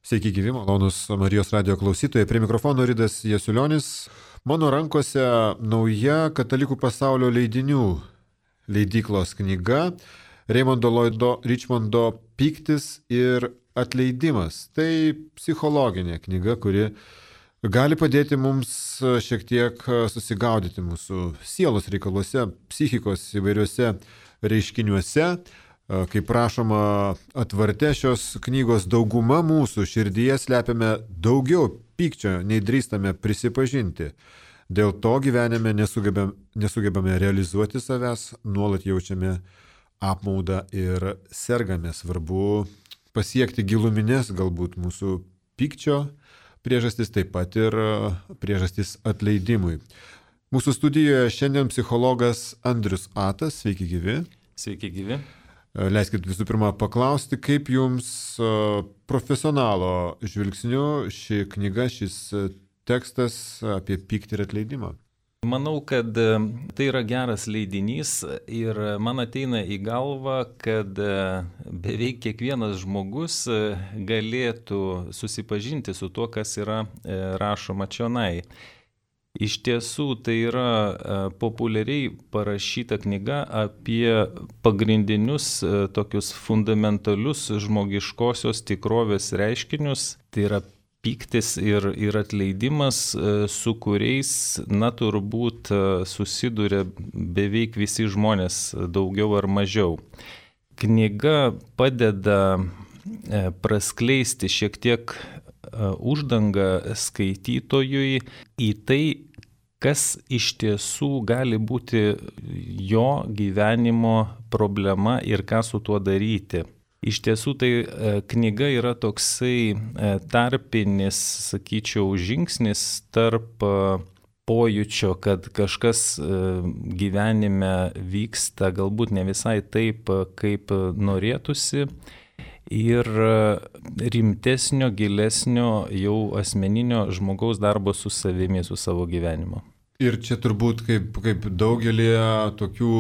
Sveiki gyvi, malonus Marijos radio klausytojai. Prie mikrofono Ridas Jasiulionis. Mano rankose nauja Katalikų pasaulio leidinių leidyklos knyga Raymondo Lloydo Richmondo Pyktis ir atleidimas. Tai psichologinė knyga, kuri gali padėti mums šiek tiek susigaudyti mūsų sielos reikaluose, psichikos įvairiuose reiškiniuose. Kaip rašoma atvarte šios knygos, dauguma mūsų širdyje slepiame daugiau pykčio, nei drįstame prisipažinti. Dėl to gyvenime nesugebame realizuoti savęs, nuolat jaučiame apmaudą ir sergame. Svarbu pasiekti giluminės galbūt mūsų pykčio priežastis, taip pat ir priežastis atleidimui. Mūsų studijoje šiandien psichologas Andrius Atas. Sveiki gyvi. Sveiki gyvi. Leiskit visų pirma paklausti, kaip jums profesionalo žvilgsniu ši knyga, šis tekstas apie pyktį ir atleidimą? Manau, kad tai yra geras leidinys ir man ateina į galvą, kad beveik kiekvienas žmogus galėtų susipažinti su tuo, kas yra rašoma čionai. Iš tiesų, tai yra populiariai parašyta knyga apie pagrindinius tokius fundamentalius žmogiškosios tikrovės reiškinius. Tai yra pyktis ir atleidimas, su kuriais, turbūt susiduria beveik visi žmonės, daugiau ar mažiau. Knyga padeda praskleisti šiek tiek uždangą skaitytojui į tai, kas iš tiesų gali būti jo gyvenimo problema ir ką su tuo daryti. Iš tiesų tai knyga yra toksai tarpinis, sakyčiau, žingsnis tarp pojūčio, kad kažkas gyvenime vyksta galbūt ne visai taip, kaip norėtųsi, ir rimtesnio, gilesnio jau asmeninio žmogaus darbo su savimi, su savo gyvenimu. Ir čia turbūt kaip daugelį tokių,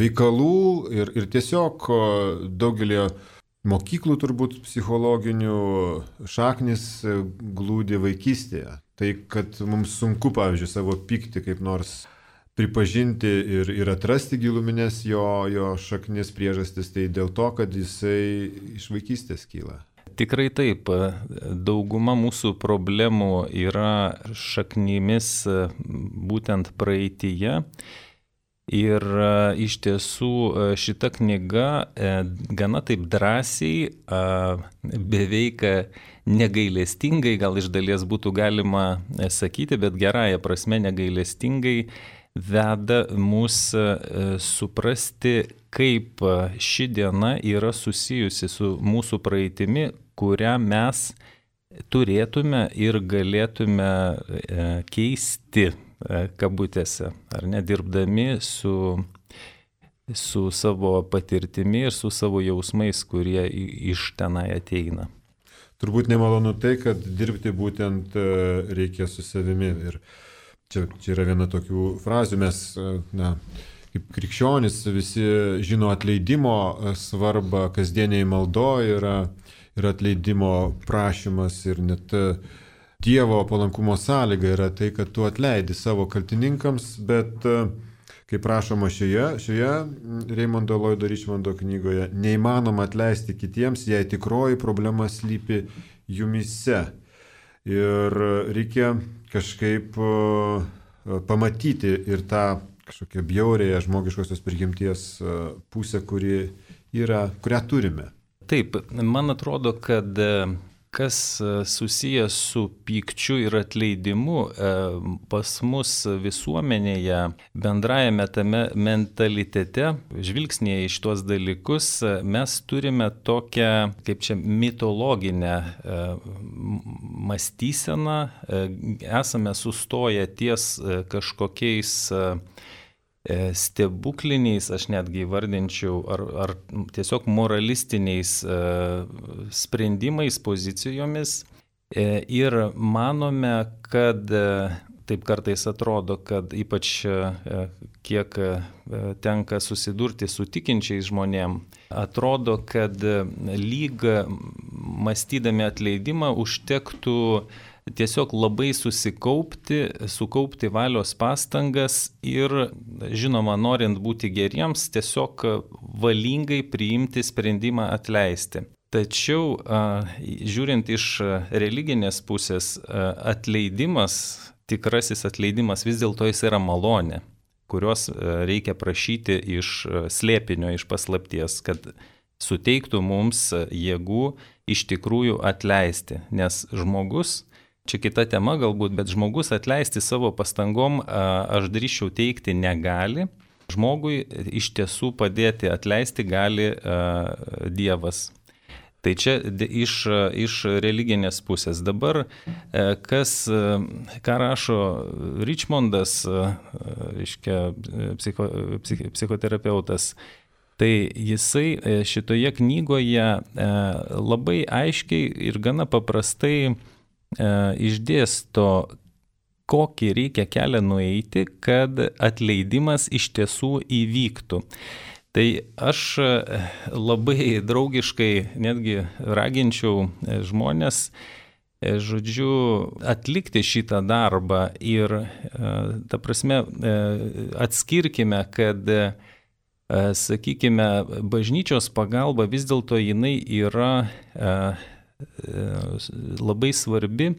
veikalų ir tiesiog daugelį mokyklų turbūt psichologinių šaknis glūdi vaikystėje. Tai, kad mums sunku, pavyzdžiui, savo pyktį kaip nors pripažinti ir atrasti giluminės jo šaknis priežastis, tai dėl to, kad jisai iš vaikystės kyla. Tikrai taip. Dauguma mūsų problemų yra šaknimis būtent praeityje. Ir iš tiesų šita knyga gana taip drąsiai, beveik negailestingai, gal iš dalies būtų galima sakyti, bet gerąja prasme negailestingai, veda mus suprasti, kaip ši diena yra susijusi su mūsų praeitimi, kurią mes turėtume ir galėtume keisti, kabutėse, ar ne, dirbdami su savo patirtimi ir su savo jausmais, kurie iš tenai ateina. Turbūt nemalonu tai, kad dirbti būtent reikia su savimi. Ir Čia yra viena tokių frazių, mes, kaip krikščionys, visi žino atleidimo svarbą, kasdieniai maldoje yra atleidimo prašymas ir net Dievo palankumo sąlyga yra tai, kad tu atleidi savo kaltininkams, bet, kaip rašoma šioje Raymondo Lloydo Richmondo knygoje, neįmanoma atleisti kitiems, jei tikroji problema slypi jumyse. Ir reikia kažkaip pamatyti ir tą kažkokią bjaurėją žmogiškosios prigimties pusę, kurią turime. Taip, man atrodo, kad kas susijęs su pykčiu ir atleidimu pas mus visuomenėje, bendrajame tame mentalitete, žvilgsnėje iš tuos dalykus, mes turime tokią, kaip čia, mitologinę mąstyseną, esame sustoję ties kažkokiais stebukliniais, aš netgi vardinčiau, ar tiesiog moralistiniais sprendimais, pozicijomis ir manome, kad taip kartais atrodo, kad ypač kiek tenka susidurti su tikinčiais žmonėm, atrodo, kad lyg mąstydami atleidimą užtektų tiesiog labai sukaupti valios pastangas ir, žinoma, norint būti geriems, tiesiog valingai priimti sprendimą atleisti. Tačiau, žiūrint iš religinės pusės, atleidimas, tikrasis atleidimas vis dėlto jis yra malonė, kurios reikia prašyti iš slėpinio, iš paslapties, kad suteiktų mums jėgų iš tikrųjų atleisti. Nes žmogus, čia kita tema galbūt, bet žmogus atleisti savo pastangom, aš drįsčiau teigti, negali. Žmogui iš tiesų padėti atleisti gali Dievas. Tai čia iš religinės pusės. Dabar, ką rašo Richmondas, psichoterapeutas, tai jisai šitoje knygoje labai aiškiai ir gana paprastai išdėsto, kokį reikia kelią nueiti, kad atleidimas iš tiesų įvyktų. Tai aš labai draugiškai netgi raginčiau žmonės, atlikti šitą darbą ir, ta prasme, atskirkime, kad, sakykime, bažnyčios pagalba vis dėlto jinai yra labai svarbi,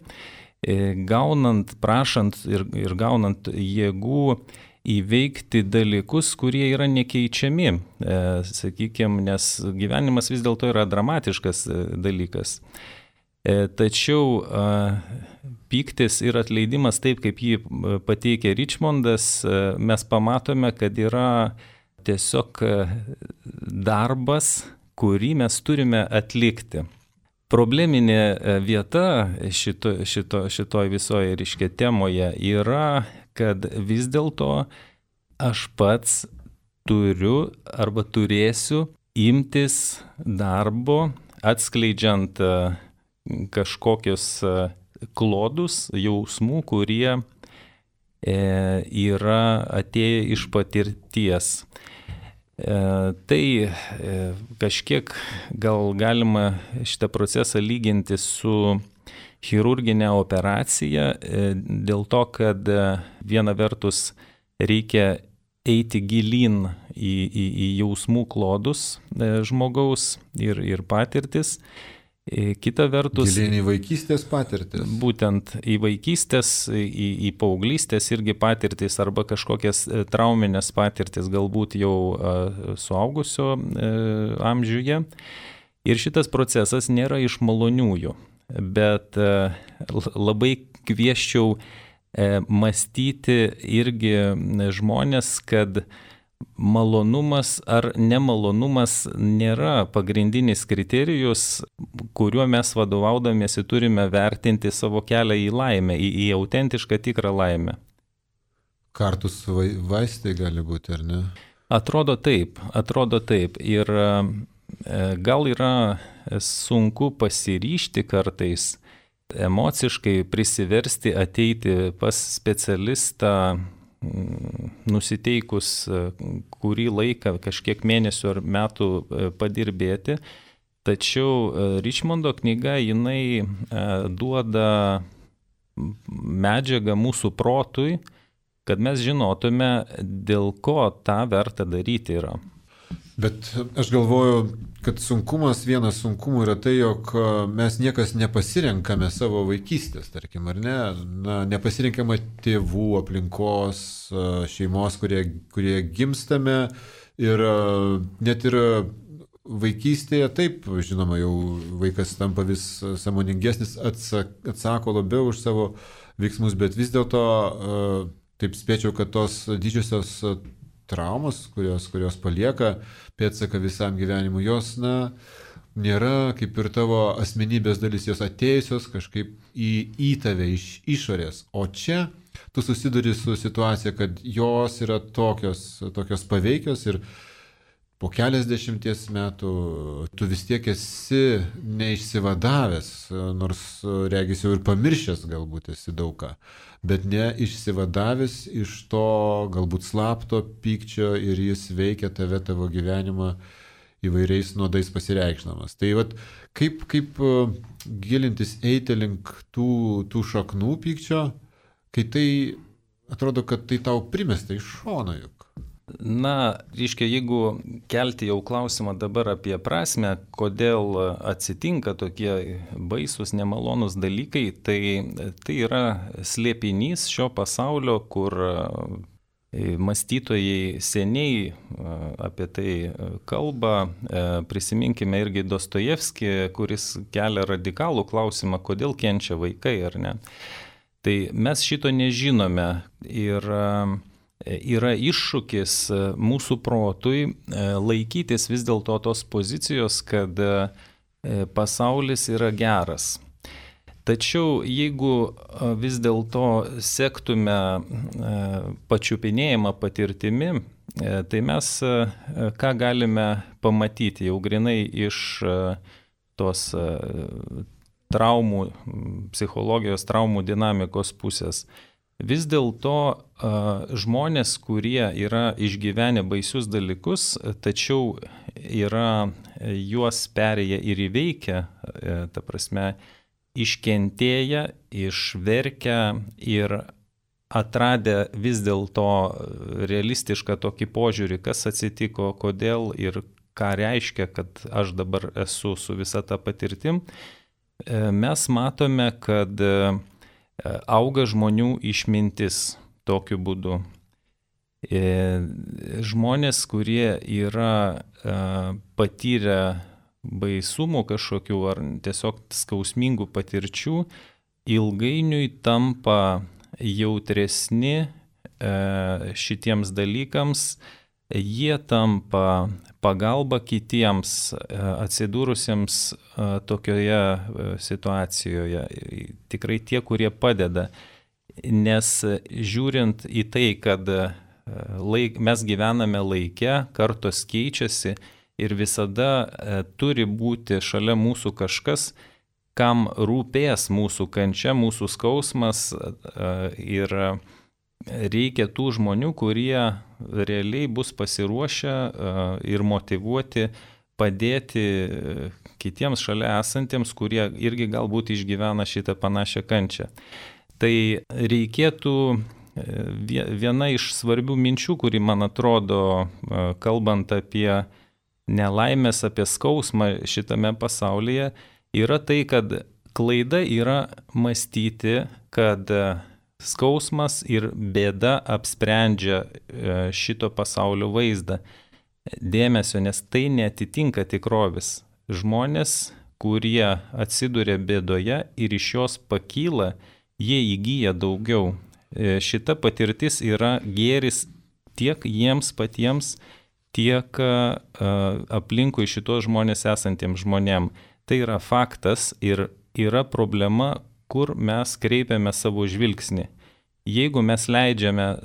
gaunant, prašant ir gaunant jėgų įveikti dalykus, kurie yra nekeičiami, sakykime, nes gyvenimas vis dėlto yra dramatiškas dalykas. Tačiau pyktis ir atleidimas, taip kaip jį pateikė Richmondas, mes pamatome, kad yra tiesiog darbas, kurį mes turime atlikti. Probleminė vieta šitoj visoje reiškia temoje yra, kad vis dėlto aš pats turiu arba turėsiu imtis darbo, atskleidžiant kažkokius klodus, jausmų, kurie yra atėję iš patirties. Tai kažkiek gal galima šitą procesą lyginti su chirurginė operacija, dėl to, kad viena vertus reikia eiti gilyn į jausmų klodus žmogaus ir patirtis. Kita vertus... Gilyn į vaikystės patirtis. Būtent į vaikystės, į paauglystės irgi patirtis arba kažkokias trauminės patirtis galbūt jau suaugusio amžiuje. Ir šitas procesas nėra iš maloniųjų. Bet labai kvieščiau mąstyti irgi žmonės, kad malonumas ar nemalonumas nėra pagrindinis kriterijus, kuriuo mes vadovaudamiesi turime vertinti savo kelią į laimę, į autentišką tikrą laimę. Kartus vaistai gali būti, ar ne? Atrodo taip. Ir gal yra sunku pasiryžti kartais, emociškai prisiversti ateiti pas specialistą, nusiteikus kurį laiką, kažkiek mėnesių ar metų padirbėti. Tačiau Richmondo knyga, jinai duoda medžiagą mūsų protui, kad mes žinotume, dėl ko tą verta daryti yra. Bet aš galvoju, kad vienas sunkumų yra tai, jog mes niekas nepasirenkame savo vaikystės, tarkim, ar ne? Nepasirenkame tėvų, aplinkos, šeimos, kurie gimstame ir net ir vaikystėje, taip, žinoma, jau vaikas tampa vis sąmoningesnis, atsako labiau už savo veiksmus, bet vis dėlto taip spėčiau, kad tos didžiosios traumos, kurios palieka pėdsaką visam gyvenimui, jos, nėra kaip ir tavo asmenybės dalis, jos atėjusios kažkaip į tave iš išorės. O čia tu susiduri su situacija, kad jos yra tokios paveikios ir po keliasdešimties metų tu vis tiek esi neišsivadavęs, nors regis jau ir pamiršęs galbūt esi daug ką, bet neišsivadavęs iš to galbūt slapto pykčio ir jis veikia tave, tavo gyvenimą įvairiais nuodais pasireikšdamas. Tai vat, kaip gilintis, eiti link tų šaknų pykčio, kai tai atrodo, kad tai tau primesta iš šono juk. Na, reiškia, jeigu kelti jau klausimą dabar apie prasme, kodėl atsitinka tokie baisus, nemalonus dalykai, tai yra slėpinys šio pasaulio, kur mąstytojai seniai apie tai kalba. Prisiminkime irgi Dostojevskį, kuris kelia radikalų klausimą, kodėl kenčia vaikai, ar ne. Tai mes šito nežinome ir yra iššūkis mūsų protui laikytis vis dėlto tos pozicijos, kad pasaulis yra geras. Tačiau jeigu vis dėlto sektume pačiupinėjimą patirtimi, tai mes ką galime pamatyti jau grinai iš tos traumų, psichologijos traumų dinamikos pusės. Vis dėlto žmonės, kurie yra išgyvenę baisius dalykus, tačiau yra juos perėję ir įveikę, ta prasme, iškentėję, išverkę ir atradę vis dėlto realistišką tokį požiūrį, kas atsitiko, kodėl ir ką reiškia, kad aš dabar esu su visa ta patirtim, mes matome, kad auga žmonių išmintis tokiu būdu. Žmonės, kurie yra patyrę baisumų kažkokių ar tiesiog skausmingų patirčių, ilgainiui tampa jautresni šitiems dalykams, jie tampa pagalba kitiems atsidūrusiems tokioje situacijoje. Tikrai tie, kurie padeda. Nes žiūrint į tai, kad mes gyvename laike, kartos keičiasi ir visada turi būti šalia mūsų kažkas, kam rūpės mūsų kančia, mūsų skausmas ir reikia tų žmonių, kurie realiai bus pasiruošę ir motyvuoti padėti kitiems šalia esantiems, kurie irgi galbūt išgyvena šitą panašią kančią. Tai reikėtų viena iš svarbių minčių, kuri man atrodo, kalbant apie nelaimės, apie skausmą šitame pasaulyje, yra tai, kad klaida yra mąstyti, kad skausmas ir bėda apsprendžia šito pasaulio vaizdą. Dėmesio, nes tai neatitinka tikrovės. Žmonės, kurie atsiduria bėdoje ir iš jos pakyla, jie įgyja daugiau. Šita patirtis yra gėris tiek jiems patiems, tiek aplinkui šitos žmonės esantiems žmonėm. Tai yra faktas ir yra problema, kur mes kreipiame savo žvilgsnį. Jeigu mes leidžiame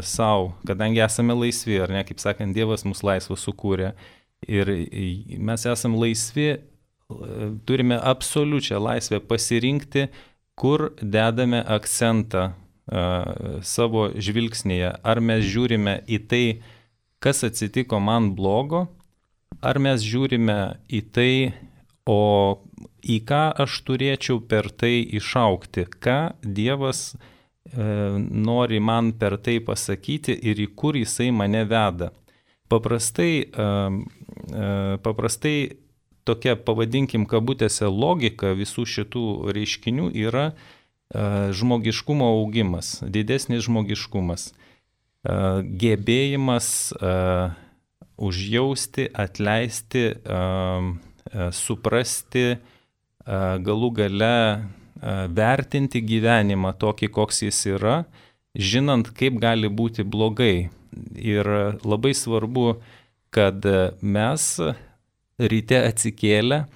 savo, kadangi esame laisvi, ar ne, kaip sakant, Dievas mus laisvą sukūrė ir mes esame laisvi, turime absoliučią laisvę pasirinkti, kur dedame akcentą savo žvilgsnėje. Ar mes žiūrime į tai, kas atsitiko man blogo, ar mes žiūrime į tai, o į ką aš turėčiau per tai išaugti, ką Dievas nori man per tai pasakyti ir į kur jisai mane veda. Paprastai tokia, pavadinkim kabutėse, logika visų šitų reiškinių yra žmogiškumo augimas, didesnis žmogiškumas, gebėjimas užjausti, atleisti, suprasti, galų gale vertinti gyvenimą tokį, koks jis yra, žinant, kaip gali būti blogai. Ir labai svarbu, kad mes ryte atsikėlę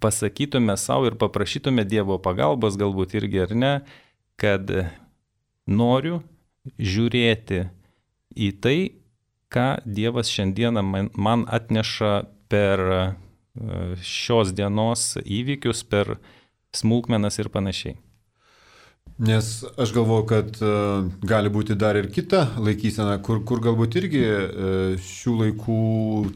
pasakytume savo ir paprašytume Dievo pagalbos, galbūt irgi ar ne, kad noriu žiūrėti į tai, ką Dievas šiandieną man atneša per šios dienos įvykius, per smulkmenas ir panašiai. Nes aš galvoju, kad gali būti dar ir kita laikysena, kur galbūt irgi šių laikų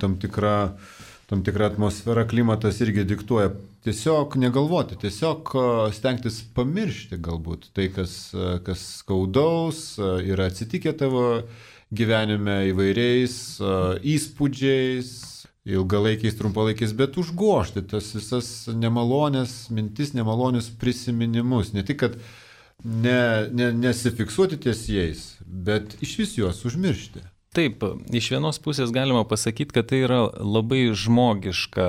tam tikra atmosfera, klimatas irgi diktuoja. Tiesiog negalvoti, tiesiog stengtis pamiršti galbūt tai, kas skaudaus yra atsitikę tavo gyvenime įvairiais įspūdžiais, ilgalaikiais, trumpalaikiais, bet užgožti tas visas nemalonės mintis, nemalonius prisiminimus. Ne tik, kad nesifiksuoti ties jais, bet iš vis juos užmiršti. Taip, iš vienos pusės galima pasakyti, kad tai yra labai žmogiška.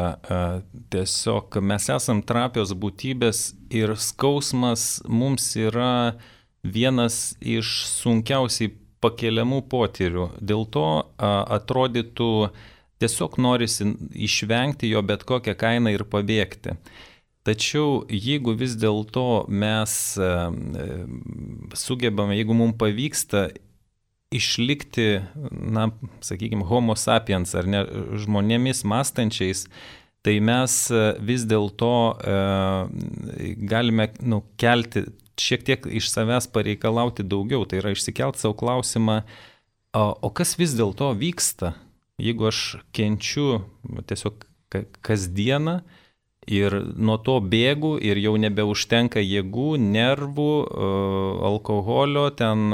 Tiesiog mes esam trapios būtybės ir skausmas mums yra vienas iš sunkiausiai pakeliamų potyrių. Dėl to atrodytų tiesiog norisi išvengti jo bet kokią kainą ir pabėgti. Tačiau jeigu vis dėlto mes sugebame, jeigu mums pavyksta išlikti, sakykime, homo sapiens ar ne, žmonėmis mąstančiais, tai mes vis dėlto galime kelti, šiek tiek iš savęs pareikalauti daugiau. Tai yra išsikelti savo klausimą, o kas vis dėlto vyksta? Jeigu aš kenčiu tiesiog kasdieną ir nuo to bėgu ir jau nebeužtenka jėgų, nervų, alkoholio, ten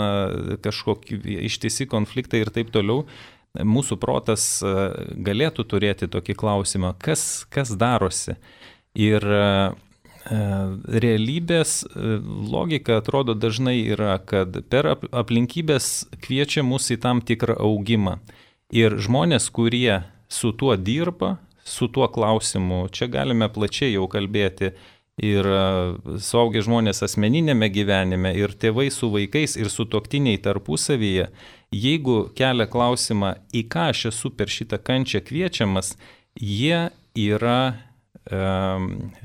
kažkokie ištisi konfliktai ir taip toliau, mūsų protas galėtų turėti tokį klausimą, kas darosi. Ir realybės logika atrodo dažnai yra, kad per aplinkybės kviečia mus į tam tikrą augimą. Ir žmonės, kurie su tuo dirba, su tuo klausimu, čia galime plačiai jau kalbėti, ir suaugę žmonės asmeninėme gyvenime, ir tėvai su vaikais, ir sutuoktiniai tarpusavyje, jeigu kelia klausimą, į ką aš esu per šitą kančią kviečiamas, jie yra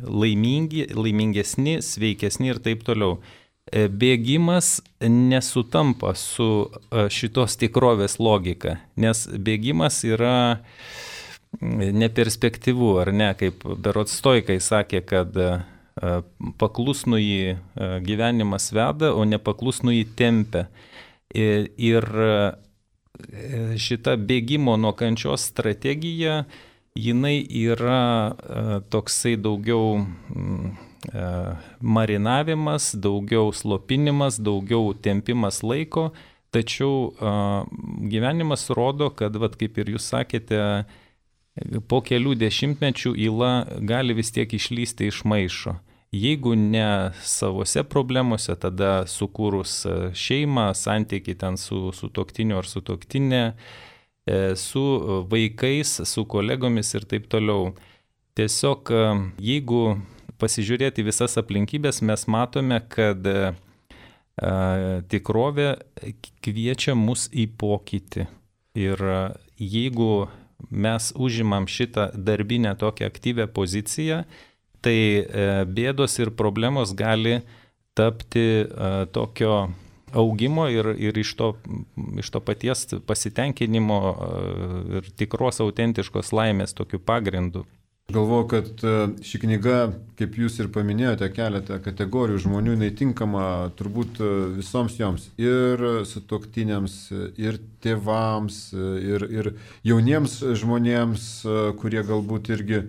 laimingesni, sveikesni ir taip toliau. Bėgimas nesutampa su šitos tikrovės logika, nes bėgimas yra neperspektyvu, ar ne, kaip berods stoikai sakė, kad paklusnųjį gyvenimas veda, o nepaklusnųjį tempia. Ir šita bėgimo nuo kančios strategija, jinai yra toksai daugiau marinavimas, daugiau slopinimas, daugiau tempimas laiko, tačiau gyvenimas rodo, kad, kaip ir jūs sakėte, po kelių dešimtmečių yla gali vis tiek išlysti iš maišo. Jeigu ne savose problemose, tada sukūrus šeimą, santykiai ten su sutuoktiniu ar sutuoktinė, su vaikais, su kolegomis ir taip toliau. Tiesiog, jeigu pasižiūrėti visas aplinkybės, mes matome, kad tikrovė kviečia mus į pokytį. Ir jeigu mes užimam šitą darbinę tokią aktyvę poziciją, tai bėdos ir problemos gali tapti tokio augimo ir iš to paties pasitenkinimo ir tikros autentiškos laimės tokiu pagrindu. Galvoju, kad ši knyga, kaip jūs ir paminėjote, keletą kategorijų žmonių, jinai tinkama turbūt visoms joms, ir sutuoktiniams, ir tėvams, ir jauniems žmonėms, kurie galbūt irgi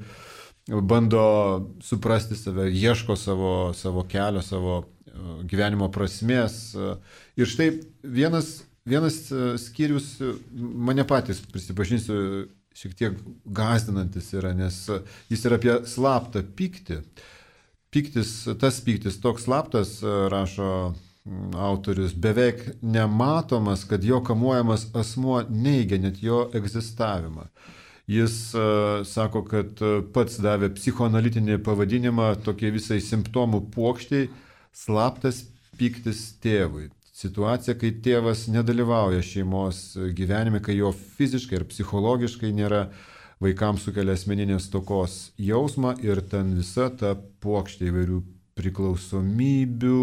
bando suprasti save, ieško savo kelio, savo gyvenimo prasmės. Ir štai vienas skyrius mane patys, prisipažinsiu, šiek tiek gąsdinantis yra, nes jis yra apie slaptą pyktį. Tas pyktis toks slaptas, rašo autorius, beveik nematomas, kad jo kamuojamas asmuo neigia net jo egzistavimą. Jis sako, kad pats davė psichoanalitinį pavadinimą tokiai visai simptomų puokštiai slaptas pyktis tėvui. Situacija, kai tėvas nedalyvauja šeimos gyvenime, kai jo fiziškai ir psichologiškai nėra, vaikams sukelia asmeninės stokos jausmą ir ten visa ta puokštė įvairių priklausomybių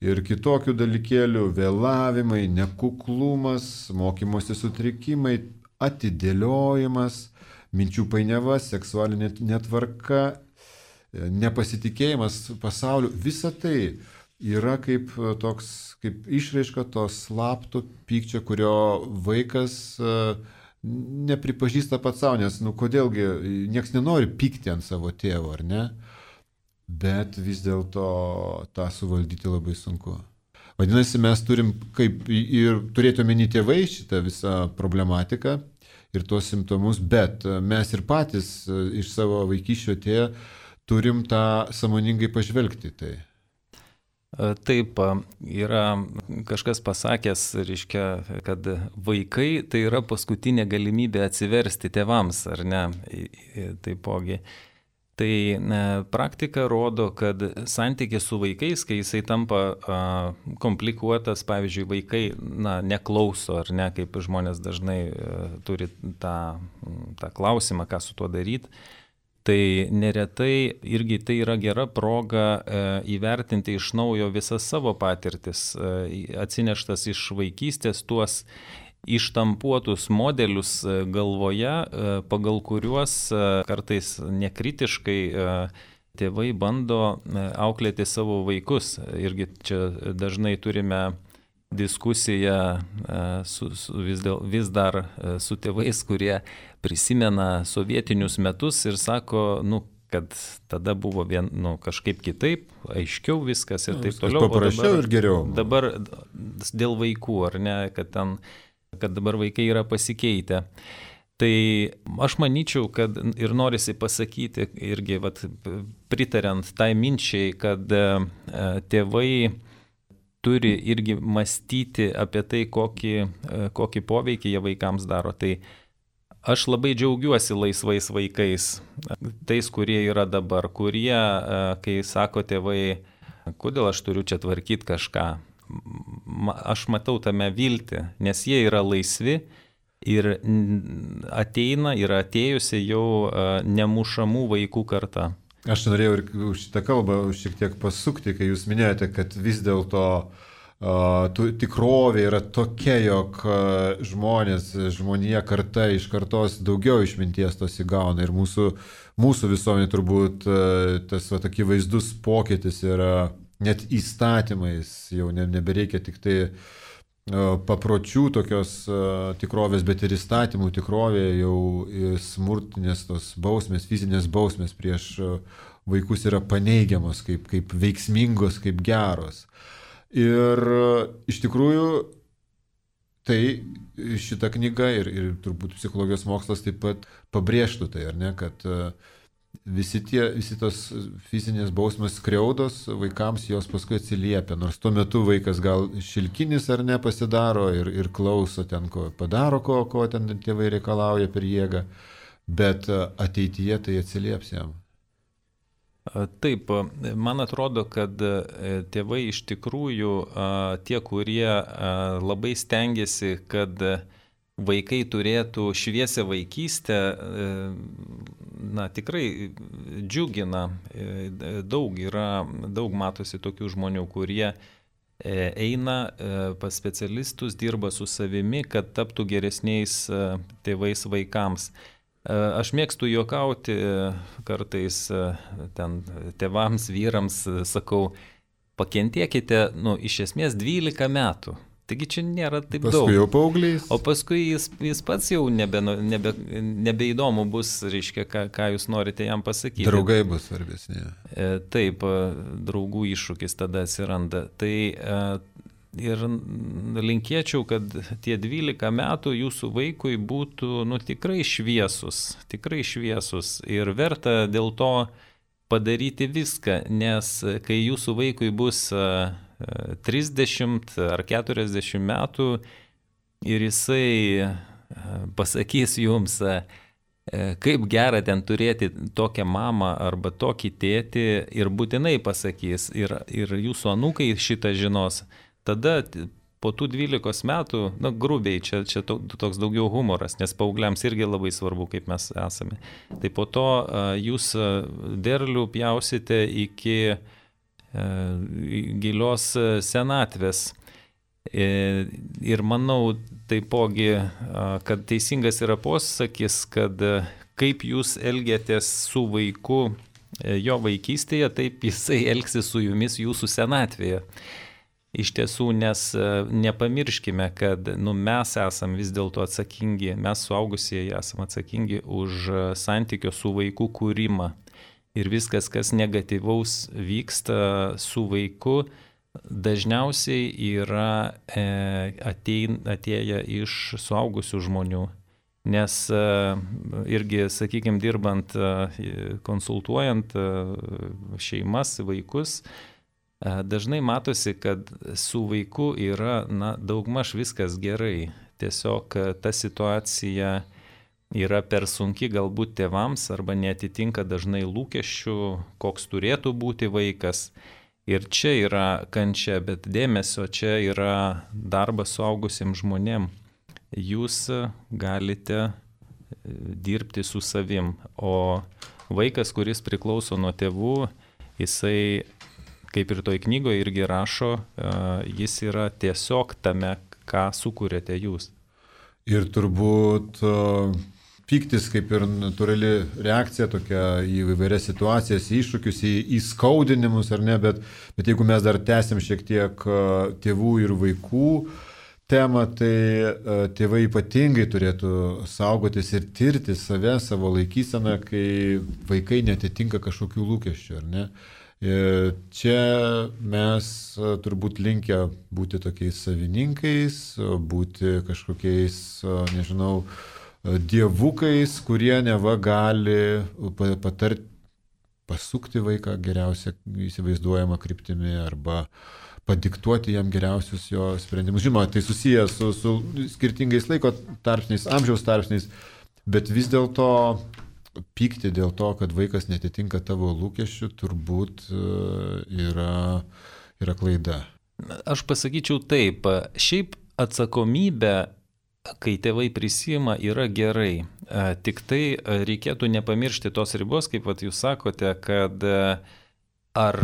ir kitokių dalykėlių, vėlavimai, nekuklumas, mokymosi sutrikimai, atidėliojimas, minčių painiava, seksualinė netvarka, nepasitikėjimas pasauliu, visa tai yra kaip išraiška to slapto pykčio, kurio vaikas nepripažįsta pats savo, nes, kodėlgi, nieks nenori pykti ant savo tėvo, ar ne? Bet vis dėlto tą suvaldyti labai sunku. Vadinasi, mes turim kaip ir turėti omeny tėvai šitą visą problematiką ir tuos simptomus, bet mes ir patys iš savo vaikystės atėję turim tą sąmoningai pažvelgti tai. Taip, yra kažkas pasakęs, reiškia, kad vaikai tai yra paskutinė galimybė atsiversti tėvams, ar ne, taipogi. Tai praktika rodo, kad santykis su vaikais, kai jisai tampa komplikuotas, pavyzdžiui, vaikai neklauso, ar ne, kaip žmonės dažnai turi tą klausimą, ką su tuo daryti. Tai neretai irgi tai yra gera proga įvertinti iš naujo visas savo patirtis, atsineštas iš vaikystės, tuos ištampuotus modelius galvoje, pagal kuriuos kartais nekritiškai tėvai bando auklėti savo vaikus. Irgi čia dažnai turime diskusiją vis dar su tėvais, kurie prisimena sovietinius metus ir sako, kad tada buvo kažkaip kitaip, aiškiau viskas ir taip toliau. Paprasčiau ir geriau. Dabar dėl vaikų, ar ne, kad dabar vaikai yra pasikeitę. Tai aš manyčiau, kad ir norisi pasakyti, irgi pritariant tai minčiai, kad tėvai turi irgi mąstyti apie tai, kokį poveikį jie vaikams daro. Tai aš labai džiaugiuosi laisvais vaikais, tais, kurie yra dabar, kurie, kai sako tėvai, kodėl aš turiu čia tvarkyti kažką, aš matau tame viltį, nes jie yra laisvi ir ateina ir atėjusi jau nemušamų vaikų karta. Aš norėjau ir šitą kalbą šiek tiek pasukti, kai jūs minėjote, kad vis dėlto tikrovė yra tokia, jog žmonija karta iš kartos daugiau išminties tos įgauna ir mūsų visuomenė turbūt tas akivaizdus pokytis yra net įstatymais, jau nebereikia tik tai papročių tokios tikrovės, bet ir įstatymų tikrovė jau smurtinės tos bausmės, fizinės bausmės prieš vaikus yra paneigiamos kaip veiksmingos, kaip geros. Ir iš tikrųjų tai šita knyga ir turbūt psichologijos mokslas taip pat pabrėžtų tai, ar ne, kad visi tos fizinės bausmės skriaudos vaikams jos paskui atsiliepia, nors tuo metu vaikas gal šilkinis ar ne pasidaro ir klauso ten, ko padaro, ko ten tėvai reikalauja per jėgą, bet ateityje tai atsilieps jam. Taip, man atrodo, kad tėvai iš tikrųjų tie, kurie labai stengiasi, kad vaikai turėtų šviesią vaikystę, tikrai džiugina. Daug matosi tokių žmonių, kurie eina pas specialistus, dirba su savimi, kad taptų geresniais tėvais vaikams. Aš mėgstu juokauti kartais ten tėvams, vyrams, sakau, pakentėkite, iš esmės 12 metų. Taigi čia nėra taip daug. Paskui jau paauglys. O paskui jis pats jau nebeįdomu bus, reiškia, ką jūs norite jam pasakyti. Draugai bus svarbesni. Taip, draugų iššūkis tada atsiranda. Tai ir linkėčiau, kad tie 12 metų jūsų vaikui būtų tikrai šviesus ir verta dėl to padaryti viską, nes kai jūsų vaikui bus 30 ar 40 metų ir jisai pasakys jums, kaip gera ten turėti tokią mamą arba tokį tėtį ir būtinai pasakys ir jūsų anūkai šitą žinos, tada po tų 12 metų, grubiai, čia toks daugiau humoras, nes paaugliams irgi labai svarbu, kaip mes esame. Tai po to jūs derlių pjausite iki gilios senatvės. Ir manau taipogi, kad teisingas yra posakis, kad kaip jūs elgiatės su vaiku jo vaikystėje, taip jisai elgsis su jumis jūsų senatvėje. Iš tiesų, nes nepamirškime, kad mes esam vis dėlto atsakingi, mes suaugusieji esam atsakingi už santykio su vaiku kūrimą. Ir viskas, kas negatyvaus vyksta su vaiku, dažniausiai yra atėję iš suaugusių žmonių. Nes irgi, sakykime, dirbant, konsultuojant šeimas, vaikus, dažnai matosi, kad su vaiku yra daugmaž viskas gerai. Tiesiog ta situacija yra per sunki galbūt tėvams arba neatitinka dažnai lūkesčių, koks turėtų būti vaikas. Ir čia yra kančia, bet dėmesio čia yra darbas suaugusiems žmonėm. Jūs galite dirbti su savim, o vaikas, kuris priklauso nuo tėvų, jisai, kaip ir toj knygoje irgi rašo, jis yra tiesiog tame, ką sukūrėte jūs. Ir turbūt pyktis kaip ir natūrali reakcija tokia į įvairias situacijas, iššūkius, į skaudinimus ar ne, bet jeigu mes dar tęsim šiek tiek tėvų ir vaikų temą, tai tėvai ypatingai turėtų saugotis ir tirti save, savo laikyseną, kai vaikai netitinka kažkokių lūkesčių, ar ne? Čia mes turbūt linkę būti tokiais savininkais, būti kažkokiais, nežinau, dievukais, kurie neva gali pasukti vaiką geriausia įsivaizduojama kryptimi arba padiktuoti jam geriausius jo sprendimus. Žinoma, tai susijęs su skirtingais laiko tarpsniais, amžiaus tarpsniais, bet vis dėlto pykti dėl to, kad vaikas netitinka tavo lūkesčių, turbūt yra klaida. Aš pasakyčiau taip, šiaip atsakomybė, kai tėvai prisima, yra gerai. Tik tai reikėtų nepamiršti tos ribos, kaip jūs sakote, kad ar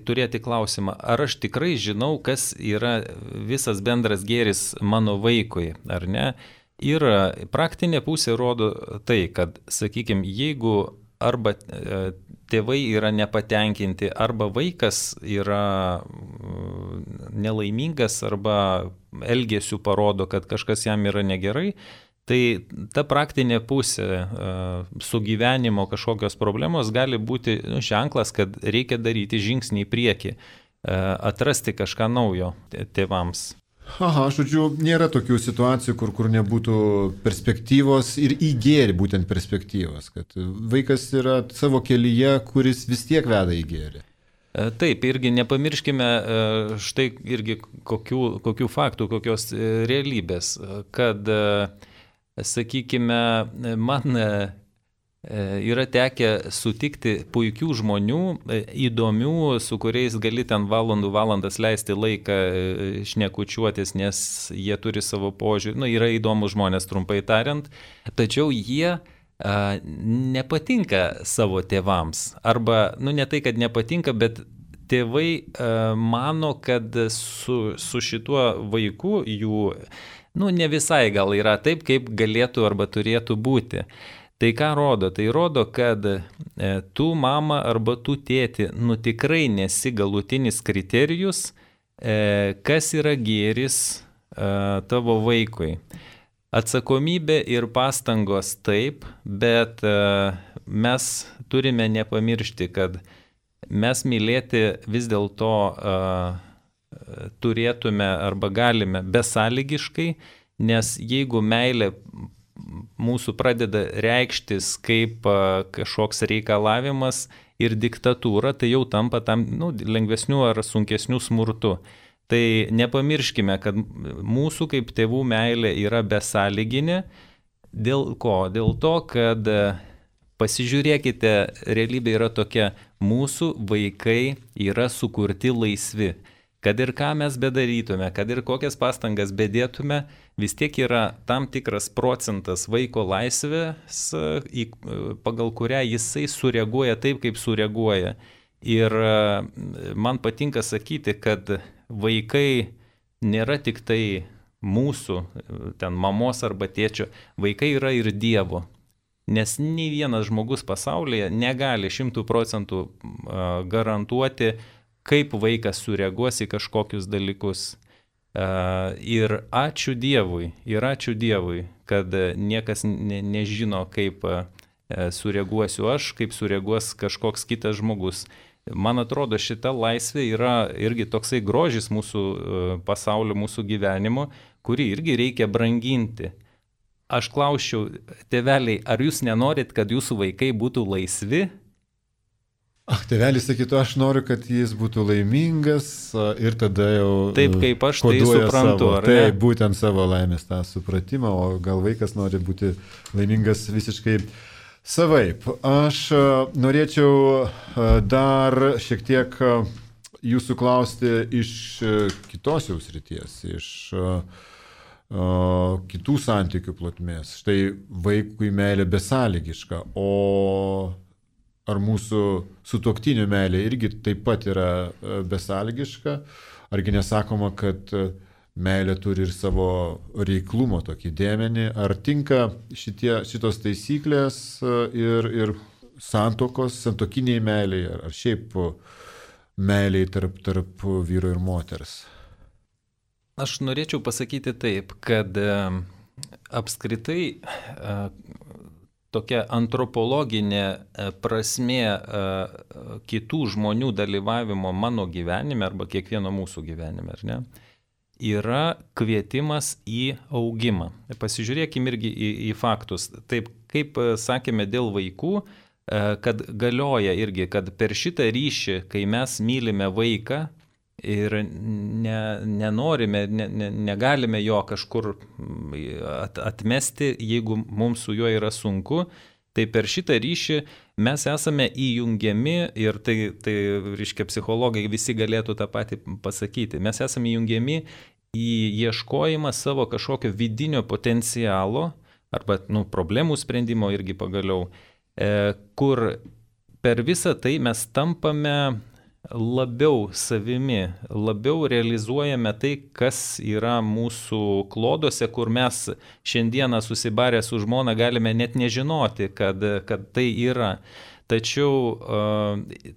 turėti klausimą, ar aš tikrai žinau, kas yra visas bendras gėris mano vaikui, ar ne? Ir praktinė pusė rodo tai, kad, sakykime, jeigu arba tėvai yra nepatenkinti, arba vaikas yra nelaimingas, arba elgesiu parodo, kad kažkas jam yra negerai, tai ta praktinė pusė sugyvenimo kažkokios problemos gali būti ženklas, kad reikia daryti žingsnį į priekį, atrasti kažką naujo tėvams. Aha, žodžiu, nėra tokių situacijų, kur nebūtų perspektyvos ir į gėrį būtent perspektyvos, kad vaikas yra savo kelyje, kuris vis tiek veda į gėrį. Taip, irgi nepamirškime štai irgi kokių faktų, kokios realybės, kad, sakykime, man yra tekę sutikti puikių žmonių, įdomių, su kuriais gali ten valandas leisti laiką šnekučiuotis, nes jie turi savo požiūrį, yra įdomus žmonės, trumpai tariant, tačiau jie nepatinka savo tėvams. Arba, ne tai, kad nepatinka, bet tėvai mano, kad su šituo vaiku jų, ne visai gal yra taip, kaip galėtų arba turėtų būti. Tai ką rodo? Tai rodo, kad tu mama arba tu tėti, tikrai nesi galutinis kriterijus, kas yra gėris tavo vaikui. Atsakomybė ir pastangos taip, bet mes turime nepamiršti, kad mes mylėti vis dėlto turėtume arba galime besąlygiškai, nes jeigu meilė mūsų pradeda reikštis kaip kažkoks reikalavimas ir diktatūra, tai jau tampa tam lengvesniu ar sunkesniu smurtu. Tai nepamirškime, kad mūsų kaip tėvų meilė yra besąlyginė. Dėl ko? Dėl to, kad pasižiūrėkite, realybė yra tokia, mūsų vaikai yra sukurti laisvi. Kad ir ką mes bedarytume, kad ir kokias pastangas bedėtume, vis tiek yra tam tikras procentas vaiko laisvės, pagal kurią jisai sureaguoja taip, kaip sureaguoja. Ir man patinka sakyti, kad vaikai nėra tik tai mūsų, ten mamos arba tėčio, vaikai yra ir Dievo. Nes nei vienas žmogus pasaulyje negali 100% garantuoti, kaip vaikas sureaguos į kažkokius dalykus. Ir ačiū Dievui, kad niekas nežino, kaip sureaguosiu aš, kaip sureaguos kažkoks kitas žmogus. Man atrodo, šita laisvė yra irgi toksai grožis mūsų pasaulio, mūsų gyvenimo, kurį irgi reikia branginti. Aš klausčiau, tėveliai, ar jūs nenorit, kad jūsų vaikai būtų laisvi? Tėvelis sakytų, aš noriu, kad jis būtų laimingas ir tada jau... Taip, kaip aš tai suprantu, savo, ar ne? Taip, būtent savo laimės tą supratimą, o gal vaikas nori būti laimingas visiškai savaip. Aš norėčiau dar šiek tiek jūsų klausti iš kitos jau srities, iš kitų santykių plotmės. Štai vaikui meilė besąlygiška, o ar mūsų sutuoktinių meilė irgi taip pat yra besąlygiška? Argi nesakoma, kad meilė turi ir savo reiklumo tokį dėmenį? Ar tinka šitos taisyklės ir santokiniai meiliai, ar šiaip meiliai tarp vyro ir moters? Aš norėčiau pasakyti taip, kad apskritai tokia antropologinė prasmė kitų žmonių dalyvavimo mano gyvenime arba kiekvieno mūsų gyvenime, ar ne, yra kvietimas į augimą. Pasižiūrėkime irgi į faktus. Taip, kaip sakėme dėl vaikų, kad galioja irgi, kad per šitą ryšį, kai mes mylime vaiką ir nenorime, negalime jo kažkur atmesti, jeigu mums su juo yra sunku, tai per šitą ryšį mes esame įjungiami ir tai reiškia, psichologai visi galėtų tą patį pasakyti. Mes esame įjungiami į ieškojimą savo kažkokio vidinio potencialo arba problemų sprendimo irgi pagaliau, kur per visą tai mes tampame labiau savimi, labiau realizuojame tai, kas yra mūsų klodose, kur mes šiandieną susibarę su žmona galime net nežinoti, kad tai yra. Tačiau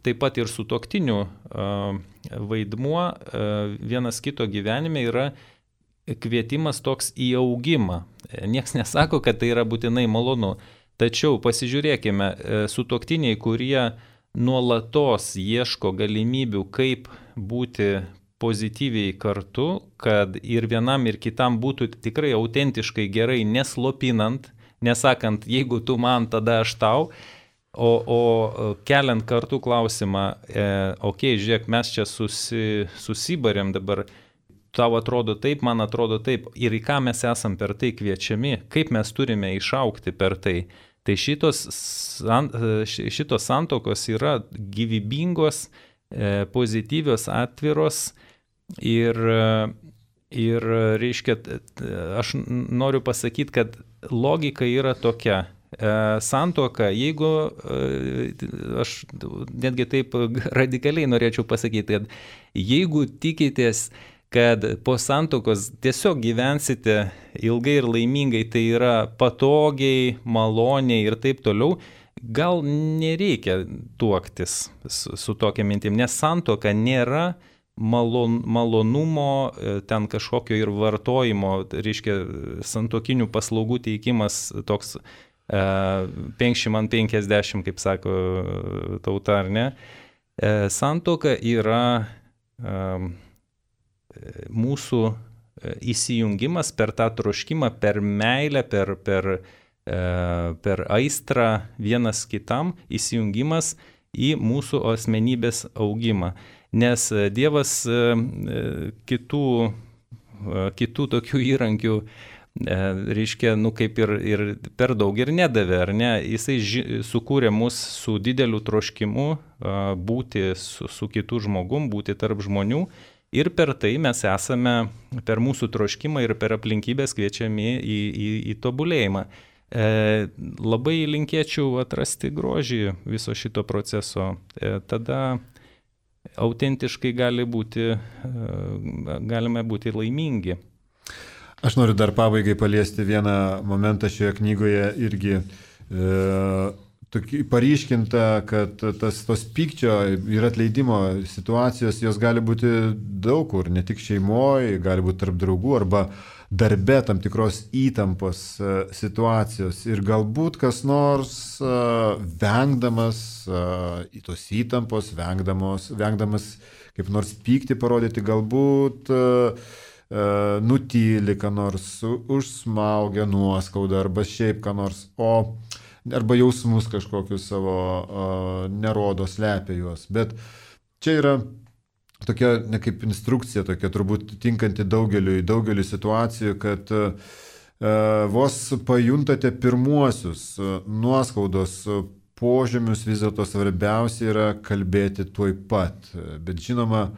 taip pat ir sutuoktinių vaidmuo vienas kito gyvenime yra kvietimas toks į augimą. Niekas nesako, kad tai yra būtinai malonu. Tačiau pasižiūrėkime, sutuoktiniai, kurie nuolatos ieško galimybių, kaip būti pozityviai kartu, kad ir vienam ir kitam būtų tikrai autentiškai gerai, neslopinant, nesakant, jeigu tu man, tada aš tau, o keliant kartu klausimą, žiūrėk, mes čia susibarėm dabar, tau atrodo taip, man atrodo taip, ir į ką mes esam per tai kviečiami, kaip mes turime išaugti per tai. Tai šitos santokos yra gyvybingos, pozityvios, atviros ir reiškia, aš noriu pasakyti, kad logika yra tokia. Santuoka, jeigu aš netgi taip radikaliai norėčiau pasakyti, kad jeigu tikitės, kad po santuokos tiesiog gyvensite ilgai ir laimingai, tai yra patogiai, maloniai ir taip toliau, gal nereikia tuoktis su tokia mintim, nes santuoka nėra malonumo, ten kažkokio ir vartojimo, reiškia santuokinių paslaugų teikimas toks 50-50, kaip sako tauta, ar ne. Santuoka yra mūsų įsijungimas per tą troškimą, per meilę, per aistrą vienas kitam, įsijungimas į mūsų asmenybės augimą. Nes Dievas kitų tokių įrankių, reiškia, kaip ir per daug ir nedavė, ar ne? Jisai sukūrė mus su dideliu troškimu būti su kitu žmogum, būti tarp žmonių. Ir per tai mes esame, per mūsų troškimą ir per aplinkybės kviečiami į tobulėjimą. Labai linkėčiau atrasti grožį viso šito proceso. Tada autentiškai galime būti laimingi. Aš noriu dar pabaigai paliesti vieną momentą šioje knygoje irgi paryškinta, kad tos pykčio ir atleidimo situacijos, jos gali būti daug kur, ne tik šeimoje, gali būti tarp draugų arba darbe tam tikros įtampos situacijos. Ir galbūt kas nors vengdamas tos įtampos, vengdamas kaip nors pykti parodyti, galbūt nutyli ką nors, užsmaugia nuoskaudą arba šiaip ką nors, arba jausmus kažkokius savo nerodo, slepia juos. Bet čia yra tokia ne kaip instrukcija, tokia turbūt tinkanti daugeliu situacijų, kad vos pajuntate pirmuosius nuoskaudos požymius, vis dėlto svarbiausia yra kalbėti tuoj pat. Bet žinoma,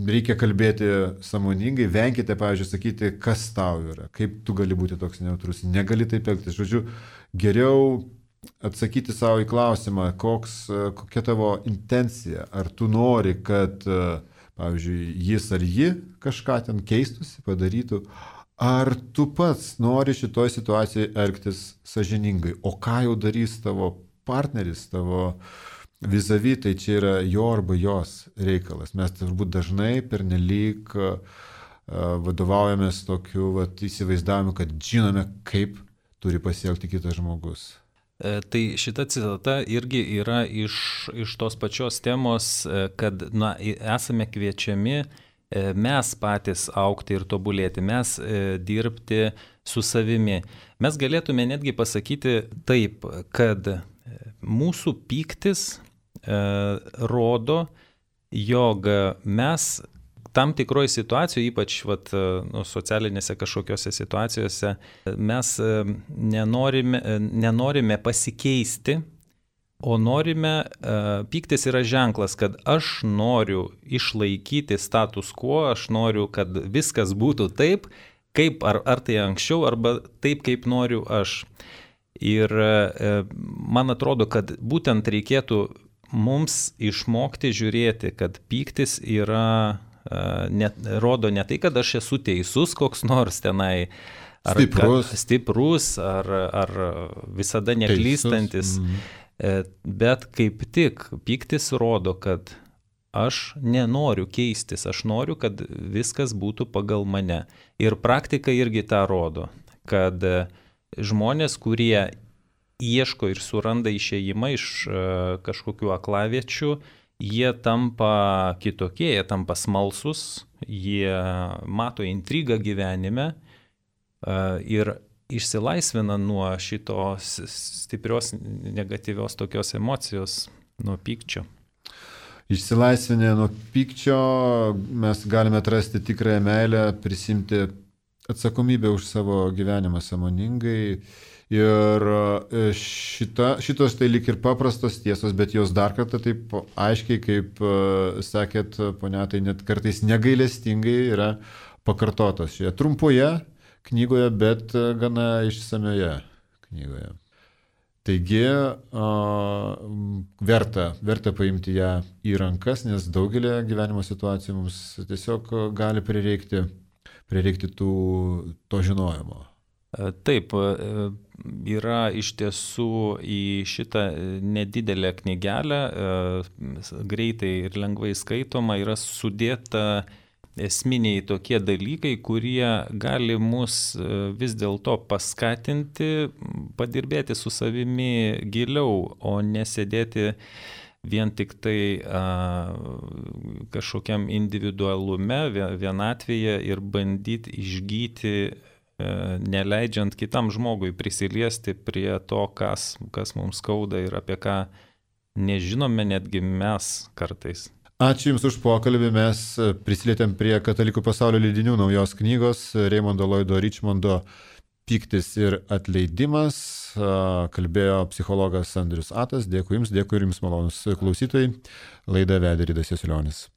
reikia kalbėti sąmoningai, venkite, pavyzdžiui, sakyti, kas tau yra, kaip tu gali būti toks nejautrus, negali taip elgtis. Žodžiu, geriau atsakyti savo į klausimą, kokia tavo intencija, ar tu nori, kad, pavyzdžiui, jis ar ji kažką ten keistųsi, padarytų, ar tu pats nori šitoj situacijai elgtis sąžiningai, o ką jau darys tavo partneris, tavo vis-a-vis, tai čia yra jo arba jos reikalas. Mes turbūt dažnai pernelyg vadovaujamės tokiu įsivaizdavimu, kad žinome, kaip turi pasielgti kitas žmogus. Tai šita citata irgi yra iš tos pačios temos, kad esame kviečiami mes patys augti ir tobulėti, mes dirbti su savimi. Mes galėtume netgi pasakyti taip, kad mūsų pyktis rodo, jog mes tam tikroje situacijoje, ypač socialinėse kažkokiose situacijose, mes nenorime pasikeisti, o norime, pyktis yra ženklas, kad aš noriu išlaikyti status quo, aš noriu, kad viskas būtų taip, kaip ar tai anksčiau, arba taip, kaip noriu aš. Ir man atrodo, kad būtent reikėtų mums išmokti žiūrėti, kad pyktis yra rodo ne tai, kad aš esu teisus koks nors tenai, ar stiprus, ar visada neklystantis, bet kaip tik pyktis rodo, kad aš nenoriu keistis, aš noriu, kad viskas būtų pagal mane. Ir praktika irgi tą rodo, kad žmonės, kurie ieško ir suranda išėjimą iš kažkokių aklaviečių, jie tampa kitokie, jie tampa smalsus, jie mato intrigą gyvenime ir išsilaisvina nuo šitos stiprios negatyvios tokios emocijos, nuo pykčio. Išsilaisvinę nuo pykčio mes galime atrasti tikrąją meilę, prisimti atsakomybę už savo gyvenimą sąmoningai. Ir šitos tai lyg ir paprastos tiesos, bet jos dar kartą taip aiškiai, kaip sakėt, ponia, tai net kartais negailestingai yra pakartotos šioje trumpoje knygoje, bet gana išsamioje knygoje. Taigi verta paimti ją į rankas, nes daugelį gyvenimo situacijų mums tiesiog gali prireikti to žinojimo. Taip, yra iš tiesų į šitą nedidelę knygelę, greitai ir lengvai skaitoma, yra sudėta esminiai tokie dalykai, kurie gali mus vis dėlto paskatinti, padirbėti su savimi giliau, o nesėdėti vien tik tai kažkokiam individualume, vienatvėje ir bandyti išgyti, neleidžiant kitam žmogui prisiliesti prie to, kas mums skauda ir apie ką nežinome netgi mes kartais. Ačiū Jums už pokalbį, mes prisilietėm prie Katalikų pasaulio leidinių naujos knygos Raymondo Lloydo Richmondo Pyktis ir atleidimas. Kalbėjo psichologas Andrius Atas. Dėkui Jums, malonus klausytojai. Laidą vedė Ridas Jasiulionis.